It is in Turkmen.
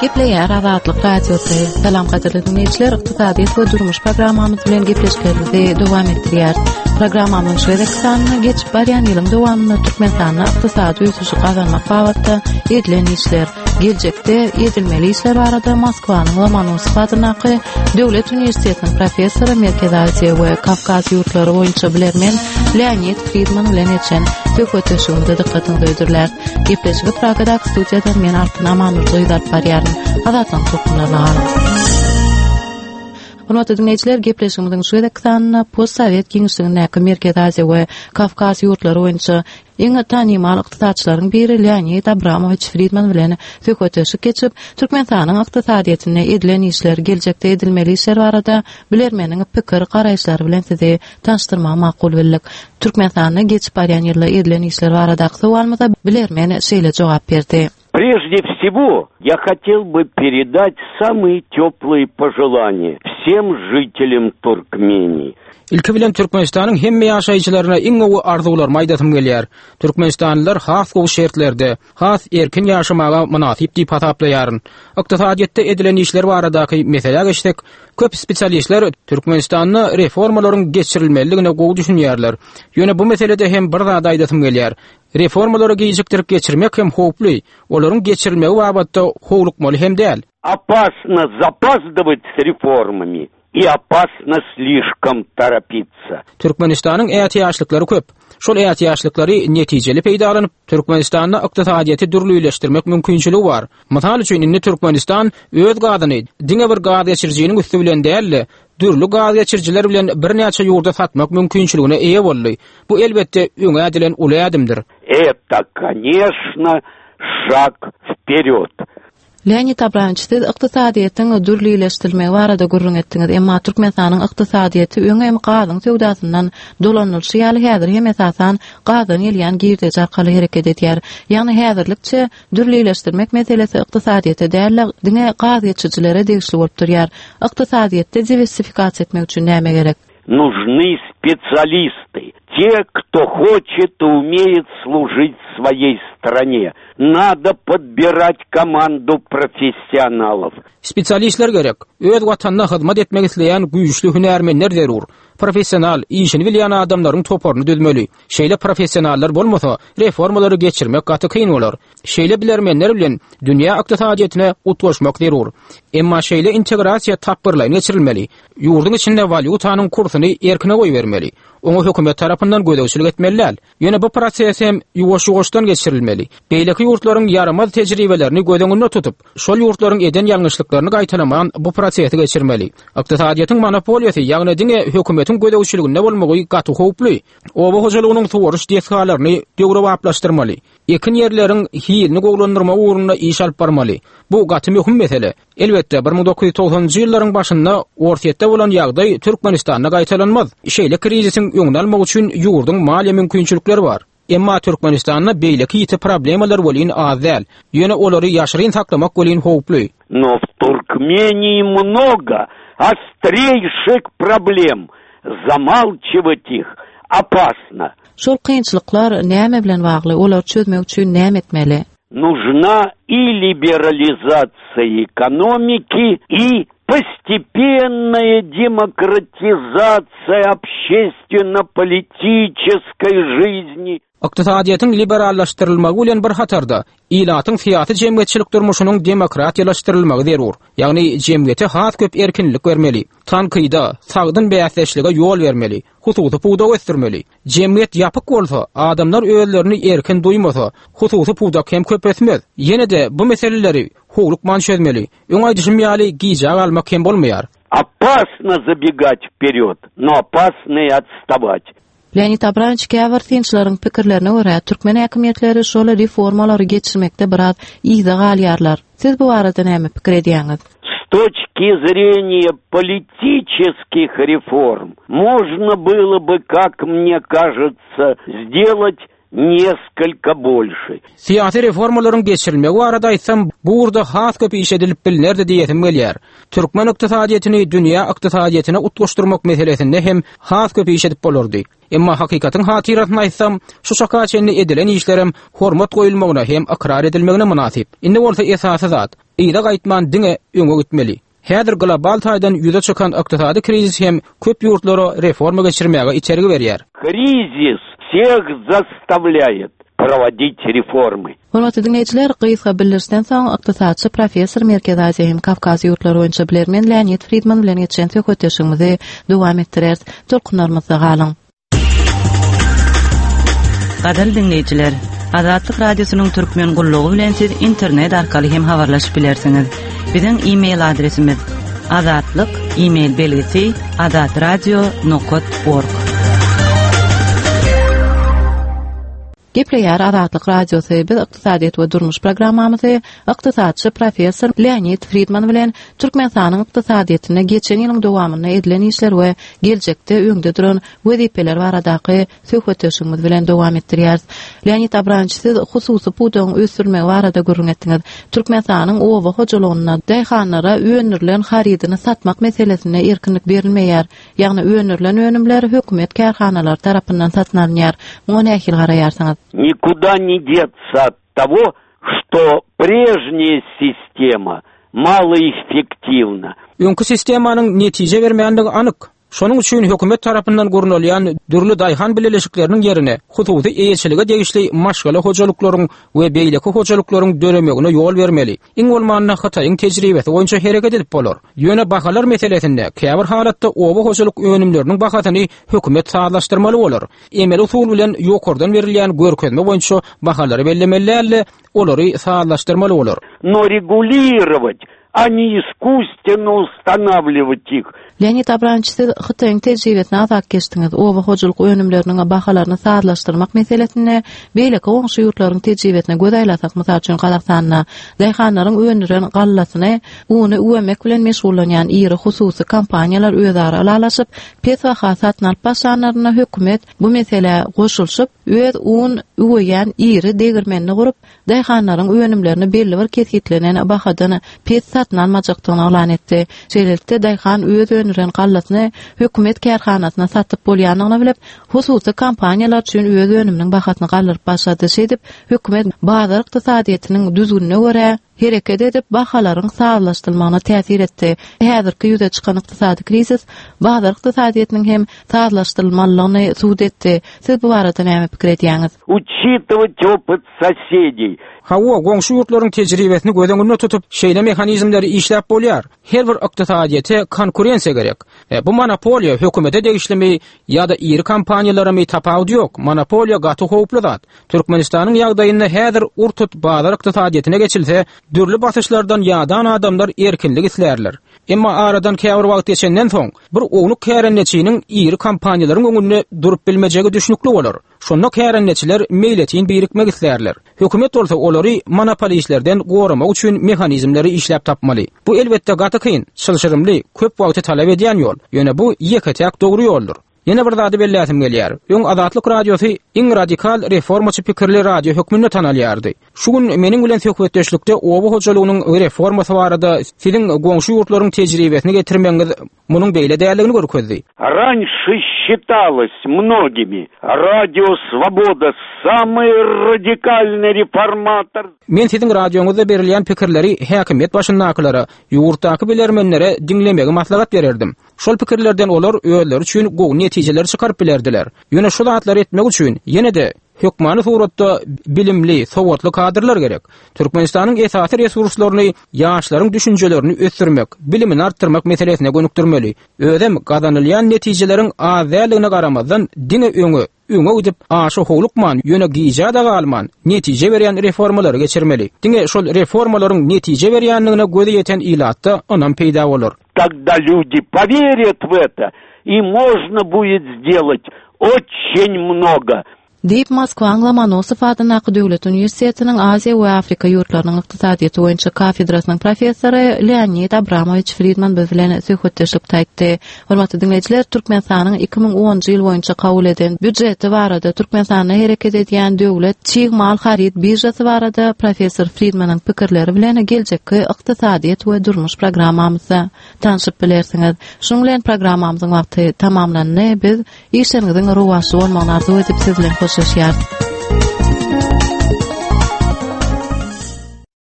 Gepleýär Azatlyk Radiosy. Salam gadyrly diňleýjiler, ykdysadyýet we durmuş programmamyz bilen gepleşiklerimizi dowam etdirýäris. Programmamyzyň şu gezekki sanynda geçip barýan ýylyň dowamynda Türkmenistanda ykdysady ösüşi gazanmak babatda edilen işler, geljekde edilmeli işler barada Moskwanyň Lomonosow adyndaky Döwlet uniwersitetiniň professory, Merkezi Aziýa we Kawkaz ýurtlary boýunça bilermen Leonid Fridman bilen geçen söhbetdeşligimize dykgatyňyzy hödürläris. Gepleşigi Pragadaky studiýadan men Altyn Amanurdyýewa alyp barýaryn. Azatlygyň tolkunlaryna galyň. Hormatly diňleýjiler, gepleşigimiziň şu gezekki sanynda postsowet giňişligindäki Merkezi Aziýa we Kawkaz ýurtlary boýunça iň tanymal ykdysatçylaryň biri Leonid Abramowiç Fridman bilen söhbetdeşlik geçip, Türkmenistanyň ykdysadyýetinde edilen işler, geljekde edilmeli işler barada bilermeniň pikir, garaýyşlary bilen sizi tanyşdyrmagy makul bildik. Türkmenistanda geçip barýan ýylda edilen işler baradaky sowalymyza bilermen şeýle jogap berdi. Прежде всего, я хотел бы передать самые теплые пожелания всем жителям Туркмении. Ilki bilen Türkmenistanyň hemme ýaşaýjylaryna iň gowy arzuwlarymy aýdasym gelýär. Türkmenistanlylar has gowy şertlerde, has erkin ýaşamaga mynasyp diýip hasaplaýaryn. Ykdysadyýetde edilen işler baradaky meselä geçsek, köp spesialistler Türkmenistanda reformalaryň geçirilmelidigine gowy düşünýärler. Ýöne bu meselede hem bir zady aýdasym gelýär. Reformalary gijikdirip geçirmek hem howply, olaryň geçirilmegi babatda howlukmaly hem däl. Опасно запаздывать с реформами и опасно слишком торопиться. Türkmenistanyň ätiýaçlyklary köp. Şol ätiýaçlyklary netijeli peýdalanyp, Türkmenistanda ykdysadyýeti dürlüleşdirmek mümkinçiligi bar. Mysal üçin, indi Türkmenistan öz gazyny diňe bir gazgeçirijiniň üsti bilen däl-de, dürli gazgeçirijiler bilen birnäçe ýurda satmak mümkinçiligine eýe boldy. Bu, elbetde, öňe ädilen uly ädimdir. Это, конечно, шаг вперед. Leonid Abramowiç, siz ykdysadyýetiň dürlileşdirilmegi barada gürrüň etdiňiz, emma Türkmenistanyň ykdysadyýeti öň hem gazyň söwdasyndan dolanylyşy ýaly häzir hem esasan gazdan gelýän girdeji arkaly hereket edýär. Ýagny häzirlikçe dürlileşdirmek meselesi ykdysadyýete däl-de, diňe gazgeçirijilere degişli bolup durýar. Ykdysadyýetde diwersifikasiýa etmek üçin näme gerek? Нужны специалисты, те, кто хочет и умеет служить своей стране. Надо подбирать команду профессионалов. Spesialistler gerek. Öz Watanyna hyzmat etmek isleýän güýçli hünärmenler zerur. Professional, işini bilýän adamlaryň toparyny düzmeli. Şeýle professionallar bolmasa, reformalary geçirmek gaty kyn bolar. Şeýle bilermenler bilen dünýä ykdysadyýetine utgaşmak zerur. Emma şeýle integrasiýa tapgyrlaýyn geçirilmeli. Ýurduň içinde walýutanyň kursuny erkine goýbermeli. Oňa hökümet tarapyndan gözegçilik etmeli däl. Ýöne bu proses hem ýuwaş-ýuwaşdan geçirilmeli. Beýleki ýurtlaryň ýaramaz tejribelerini göz öňünde tutup, şol ýurtlaryň eden ýalňyşlyklaryny gaýtalaman bu prosesi geçirmeli. Ykdysadyýetiň monopoliýasy, ýagny diňe hökümetiň gözegçiliginde bolmagy gaty howply. Oba hojalygynyň suwaryş desgalaryny döwrebaplaşdyrmaly. Ekin ýerleriň hilini gowulandyrmak ugrunda iş alyp barmaly. Bu gaty möhüm mesele. Elbetde, 1990-njy ýyllaryň başynda Orsýetde bolan ýagdaý Türkmenistanda gaýtalanmaz. Şeýle krizisiň öňüni almak üçin ýurduň maliýe mümkinçilikleri bar. Emma Türkmenistanda beýleki ýiti problemalar welin az däl. Ýöne olary ýaşyryn saklamak welin howply. Но в Туркмении много острейших проблем, замалчивать их опасно. Şol kynçylyklar näme bilen bagly, olary çözmek üçin näme etmeli? Нужна и либерализация экономики, и постепенная демократизация общественно-политической жизни. Ykdysadyýetiň liberallaşdyrylmagy bilen bir hatarda, ilatyň syýasy-jemgyýetçilik durmuşynyň demokratiýalaşdyrylmagy zerur. Ýagny jemgyýete has köp erkinlik bermeli, tankyda, sagdyn bäsdeşlige ýol bermeli, hususy pudagy ösdürmeli. Jemgyýet ýapyk bolsa, adamlar özlerini erkin duýmasa, hususy pudak hem köp ösmez. Ýene-de bu meseleleri howlukman çözmeli. Öň aýdyşym ýaly, gijä galmak hem bolmaýar. Опасно забегать вперед, но опасно и отставать. Leonid Abramowiç käbir synçylaryň pikirlerine görä, türkmen häkimiýetleri şol reformalary geçirmekde biraz yza galýarlar. Siz bu barada näme pikir edýäňiz? S точки зрения политических реформ можно было бы, как мне кажется, сделать несколько больше. Syýasy reformalaryň geçirilmegi barada aýtsam, bu ugurda has köp iş edilip bilnerdi diýesim gelýär. Türkmen ykdysadyýetini dünýä ykdysadyýetine utgaşdyrmak meselesinde hem has köp iş edip bolardy. Emma hakykatyň hatyrasyna aýtsam, şu çaka çenli edilen işlerem hormat goýulmagyna hem ykrar edilmegine mynasyp. Indi bolsa esasy zat, Yza gaýtman diňe öňe gitmeli. Häzir global taýdan ýüze çykan ykdysady krizis hem köp ýurtlara reforma geçirmäge itergi berýär. Krizis всех заставляет проводить reformy. Hormatly diňleýjiler, gysga bildirişden soň ykdysatçy professor Merkezi Aziýa hem Kawkaz ýurtlary boýunça bilermen Leonid Fridman bilen geçen söhbetdeşligimizi dowam etdireris. Tolkunlarymyzda galyň. Gadyrly diňleýjiler, Azatlyk Radiosynyň Türkmen gullugy bilen siz internet arkaly hem habarlaşyp bilersiňiz. Biziň e-mail adresimiz azatlyk e-mail belgisi azatradio nokat org. Gepleýär Azatlyk Radiosy, biz Ykdysadyýet we durmuş programmamyzy ykdysatçy professor Leonid Fridman bilen Türkmenistanyň ykdysadyýetinde geçen ýylyň dowamynda edilen işler we geljekde öňde duran wezipeler baradaky söhbetdeşligimiz bilen dowam etdirýäris. Leonid Abramowiç, siz hususy pudagyň ösdürilmegi barada gürrüň etdiňiz. Türkmenistanyň oba hojalygynda daýhanlara öndürilen harydyny satmak meselesinde erkinlik berilmeýär. Ýagny öndürilen önümler hökümet kärhanalary tarapyndan satyn alynýar. Muňa nähili garaýarsyňyz? Nikuda ne deться от того, что прежняя sistema maloeffektivna. Öňki sistemanyň netije bermänligi anyk. Şonuň üçin hökümet tarapyndan gurnalýan dürli daýhan bileleşikleriniň ýerine hususy eýeçilige degişli maşgala hojalyklaryň we beýleki hojalyklaryň döremegine ýol bermeli. Iň bolmanda Hytaýyň tejribesi boýunça hereket edip bolar. Ýöne bahalar meselesinde käbir halatda oba hojalyk önümleriniň bahasyny hökümet sazlaşdyrmaly bolar. Emeli usul bilen ýokardan berilýän görkezme boýunça bahalary bellemeli däl-de, olary sazlaşdyrmaly bolar. Но регулировать a ne искусственно ustanawliwat ih. Leonid Abramowiç, siz Hytaýyň tejribesine azak geçdiňiz. Oba hojalyk önümleriniň bahalaryny sazlaşdyrmak meselesinde beýleki goňşy ýurtlaryň tejribesine göz aýlasak, mysal üçin, Gazagystanda daýhanlaryň öndüren gallasyny uny üwemek bilen meşgullanýan iri hususy kompaniýalar özara ylalaşyp, pes baha satyn alyp başlanlarynda hökümet bu meselä goşulyşyp, öz un üweýän iri degirmenini gurup, daýhanlaryň önümlerini belli bir kesgitlenen bahadan pes satyn almajakdygyny yglan etdi. Şeýlelikde, daýhan öz öndüren gallasyny hökümet kärhanasyna satyp bolýandygyny bilip, hususy kompaniýalar üçin öz önüminiň bahasyny galdyryp başlady. Şeýdip, hökümet bazar ykdysadyýetiniň düzgünine görä hereket edip, bahalaryň sazlaşdyrylmagyna täsir etdi. Häzirki ýüze çykan ykdysady krizis bazar ykdysadyýetiniň hem sazlaşdyrylmalydygyny subut etdi. Siz bu barada näme pikir edýäňiz? Учитывать опыт соседей. Hawa, goňşy ýurtlaryň tejribesini göz öňünde tutup, şeýle mehanizmleri işläp bolýar. Her bir ykdysadyýete konkurensiýa gerek. E, bu monopoliýa hökümete degişlimi ýa-da iri kompaniýalaramy tapawudy ýok. Monopoliýa gaty howply zat. Türkmenistanyň ýagdaýynda häzir ur-tut bazar ykdysadyýetine geçilse, dürli basyşlardan ýadan adamlar erkinlik islärler. Emma aradan käbir wagt geçenden soň, bir ownuk kärendeçiniň iri kompaniýalaryň öňünde durup bilmejegi düşnükli bolar. Şonda kärendeçiler meýletin birikmek islärler. Hökümet bolsa olary monopolistlerden goramak üçin mehanizmleri işläp tapmaly. Bu elbetde gaty kyn, çylşyrymly, köp wagty talap edýän ýol. Ýöne bu ýeke-täk dogry ýoldur. Ýene bir zady belläsim gelýär. Öň Azatlyk Radiosy iň radikal reformaçy pikirli radio hökmünde tanalýardy. Şu gün meniň bilen söhbetdeşlikde oba hojalygynyň reformasy barada siziň goňşy ýurtlaryň tejribesini getirmegiňiz munuň beýle däldigini görkezdi. Раньше считалось многими, Радио Свобода самый радикальный реформатор. Men siziň radioňyzda berilýän pikirleri häkimiýet başyndakylara, ýurtdaky bilermenlere diňlemegi maslahat bererdim. Şol pikirlerden olar özleri üçin gowy netijeleri çykaryp bilerdiler. Ýöne şu zatlary etmek üçin ýene-de hökmany suratda bilimli, sowatly kadrlar gerek. Türkmenistanyň esasy resurslaryny ýaşlaryň düşünjelerini ösdürmek, bilimini artdyrmak meselesine gönükdirmeli. Özem gazanylýan netijeleriň az däldigine garamazdan diňe öňe, öňe gidip, aşa howlukman, ýöne gijä-de galman, netije berýän reformalary geçirmeli. Diňe şol reformalaryň netije berýändigine gözi ýeten ilatda ynam peýda bolar. Тогда люди поверят в это, и можно будет сделать очень много. Diýip, Moskwaň Lomonosow adyndaky döwlet uniwersitetiniň Aziýa we Afrika ýurtlarynyň ykdysadyýeti boýunça kafedrasynyň professory Leonid Abramowiç Fridman biz bilen söhbetdeşlikde aýtdy. Hormatly diňleýjiler, Türkmenistanyň 2010-njy ýyl boýunça kabul eden býujeti barada, Türkmenistanda hereket edýän döwlet çig mal haryt biržasy barada professor Fridmanyň pikirleri bilen geljekki Ykdysadyýet we durmuş programmamyzda tanşyp bilersiňiz. Şunuň bilen programmamyzyň wagty tamamlandy. Biz işleriňiziň rowaçly bolmagyny arzuw edip siz bilen hoşlaşýarys.